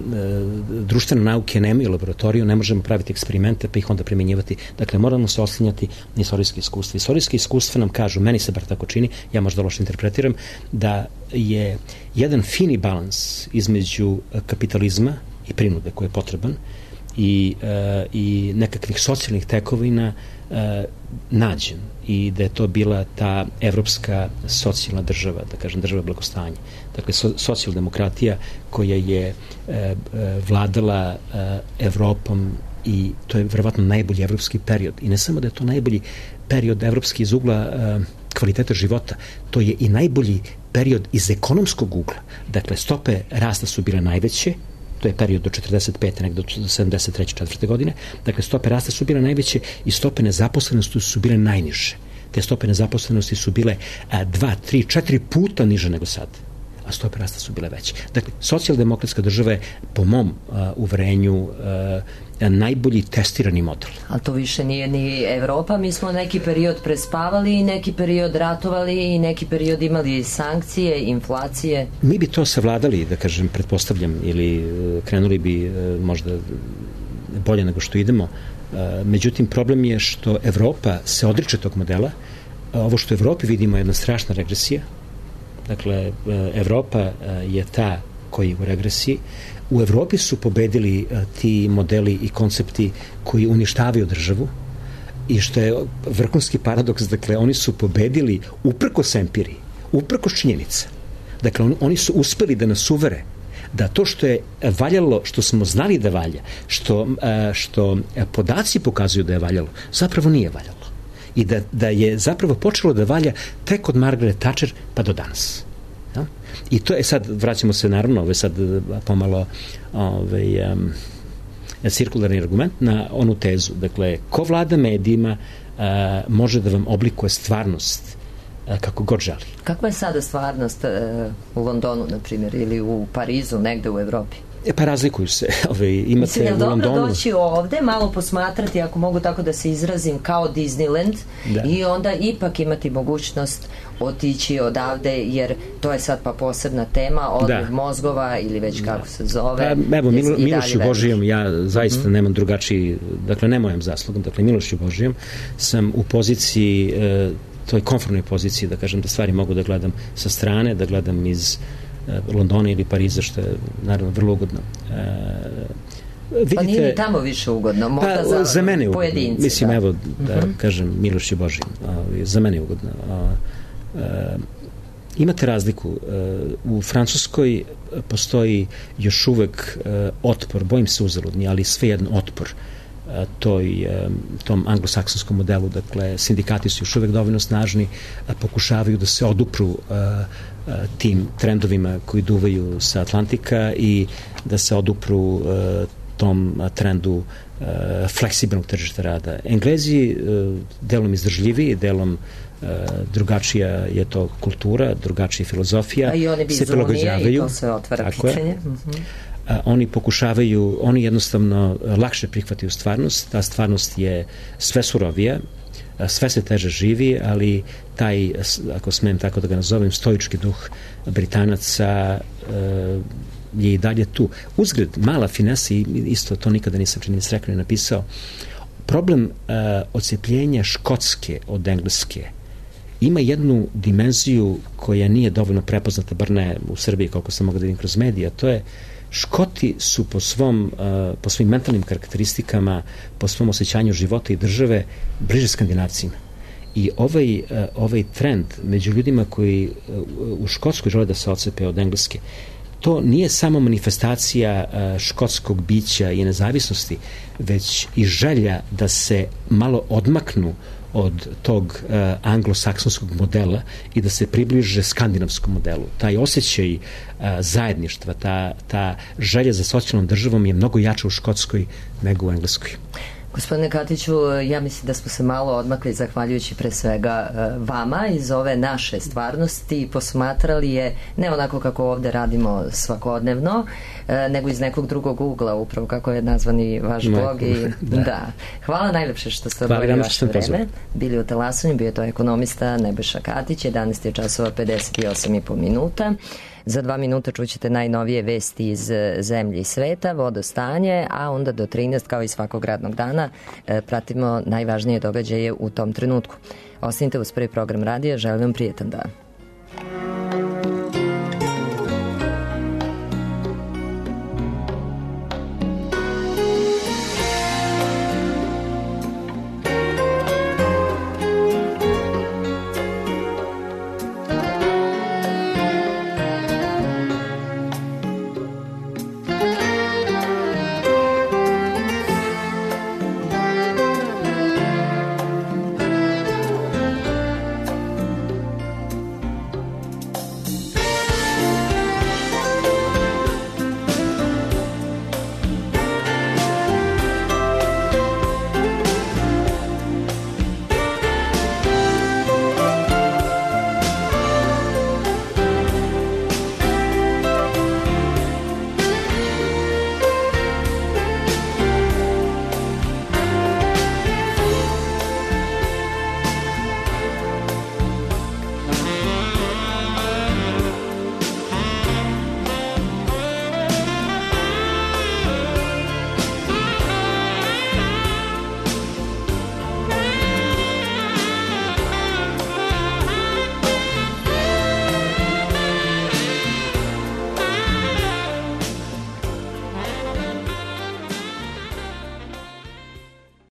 društvene nauke nemaju laboratoriju, ne možemo praviti eksperimente pa ih onda primjenjivati. Dakle, moramo se oslanjati na istorijske iskustva. Istorijske iskustva nam kažu, meni se bar tako čini, ja možda loše interpretiram, da je jedan fini balans između kapitalizma i prinude koji je potreban i, e, i nekakvih socijalnih tekovina e, nađen i da je to bila ta evropska socijalna država, da kažem država blagostanja. Dakle, so, socijaldemokratija koja je e, e, vladala e, Evropom i to je verovatno najbolji evropski period. I ne samo da je to najbolji period evropski iz ugla e, kvaliteta života, to je i najbolji period iz ekonomskog ugla. Dakle, stope rasta su bile najveće, to je period do četrdeset pete negde do sedamdeset treće četvrte godine. Dakle, stope rasta su bile najveće i stope nezaposlenosti su bile najniže. Te stope nezaposlenosti su bile a, dva, tri, četiri puta niže nego sad. a stope rasta su bile veće. Dakle, socijaldemokratska država je po mom uh, uverenju uh, najbolji testirani model. Ali to više nije ni Evropa, mi smo neki period prespavali i neki period ratovali i neki period imali sankcije, inflacije. Mi bi to savladali, da kažem, pretpostavljam, ili uh, krenuli bi uh, možda bolje nego što idemo. Uh, međutim, problem je što Evropa se odriče tog modela. Uh, ovo što u Evropi vidimo je jedna strašna regresija. Dakle, Evropa je ta koji je u regresiji. U Evropi su pobedili ti modeli i koncepti koji uništavaju državu i što je vrhunski paradoks, dakle, oni su pobedili uprkos empiriji, uprkos činjenica. Dakle, on, oni su uspeli da nas uvere da to što je valjalo, što smo znali da valja, što, što podaci pokazuju da je valjalo, zapravo nije valjalo. I da, da je zapravo počelo da valja tek od Margaret Thatcher pa do danas. Ja? I to je sad, vraćamo se naravno, ovo je sad pomalo ovaj, um, cirkularni argument na onu tezu. Dakle, ko vlada medijima uh, može da vam oblikuje stvarnost uh, kako god želi. Kakva je sada stvarnost uh, u Londonu, na primjer, ili u Parizu, negde u Evropi? E pa razlikuju se. Ove, imate Mislim, je u dobro Londonu doći ovde, malo posmatrati, ako mogu tako da se izrazim, kao Disneyland, da. I onda ipak imati mogućnost otići odavde, jer to je sad pa posebna tema, odliv da. mozgova ili već kako se zove. Pa, evo, Milo, Milošću Božijom, ja zaista mm-hmm. nemam drugačiji, dakle, ne mojem zaslugom, dakle, Milošću Božijom sam u poziciji, e, toj konformnoj poziciji, da kažem, da stvari mogu da gledam sa strane, da gledam iz Londona ili Pariza, što je naravno vrlo ugodno. E, vidite, pa nije ni tamo više ugodno, možda pa, za, za mene pojedinci. Ugodno. Mislim, da. evo, da uh-huh. kažem, Miloš je Božji. Za mene je ugodno. A, a, imate razliku. U Francuskoj postoji još uvek otpor, bojim se uzaludni, ali svejedno otpor toj, tom anglosaksonskom modelu. Dakle, sindikati su još uvek dovoljno snažni, pokušavaju da se odupru tim trendovima koji duvaju sa Atlantika i da se odupru tom trendu fleksibilnog tržišta rada. Englezi delom izdržljiviji, delom drugačija je to kultura, drugačija filozofija, a i oni bi se prilagođavaju. I to se otvara pitanje. Uh-huh. Oni pokušavaju, oni jednostavno lakše prihvataju stvarnost, ta stvarnost je sve surovija, sve se teže živi, ali taj, ako smem tako da ga nazovem, stoički duh Britanaca je i dalje tu. Uzgred, mala finesa, isto to nikada nisam čini srekao i napisao, problem odcepljenja Škotske od Engleske ima jednu dimenziju koja nije dovoljno prepoznata, bar ne u Srbiji, koliko sam mogu da vidim kroz medije, a to je Škoti su po svom, uh, po svojim mentalnim karakteristikama, po svom osjećanju života i države bliže Skandinavcima. I ovaj, uh, ovaj trend među ljudima koji uh, u Škotskoj žele da se odcepe od Engleske, to nije samo manifestacija uh, škotskog bića i nezavisnosti, već i želja da se malo odmaknu od tog uh, anglosaksonskog modela i da se približe skandinavskom modelu. Taj osjećaj uh, zajedništva, ta, ta želja za socijalnom državom je mnogo jača u Škotskoj nego u Engleskoj. Gospodine Katiću, ja mislim da smo se malo odmakli zahvaljujući pre svega vama iz ove naše stvarnosti i posmatrali je ne onako kako ovde radimo svakodnevno, nego iz nekog drugog ugla, upravo kako je nazvani vaš blog. I, da. da. Hvala najlepše što ste odvojili vaše vreme. Bili u Talasanju, bio je to ekonomista Nebojša Katić, jedanaest je časova pedeset osam i po minuta. Za dva minuta čućete najnovije vesti iz zemlje i sveta, vodostanje, a onda do trinaest, kao i svakog radnog dana, pratimo najvažnije događaje u tom trenutku. Ostanite uz prvi program radija, želim vam prijetan dan.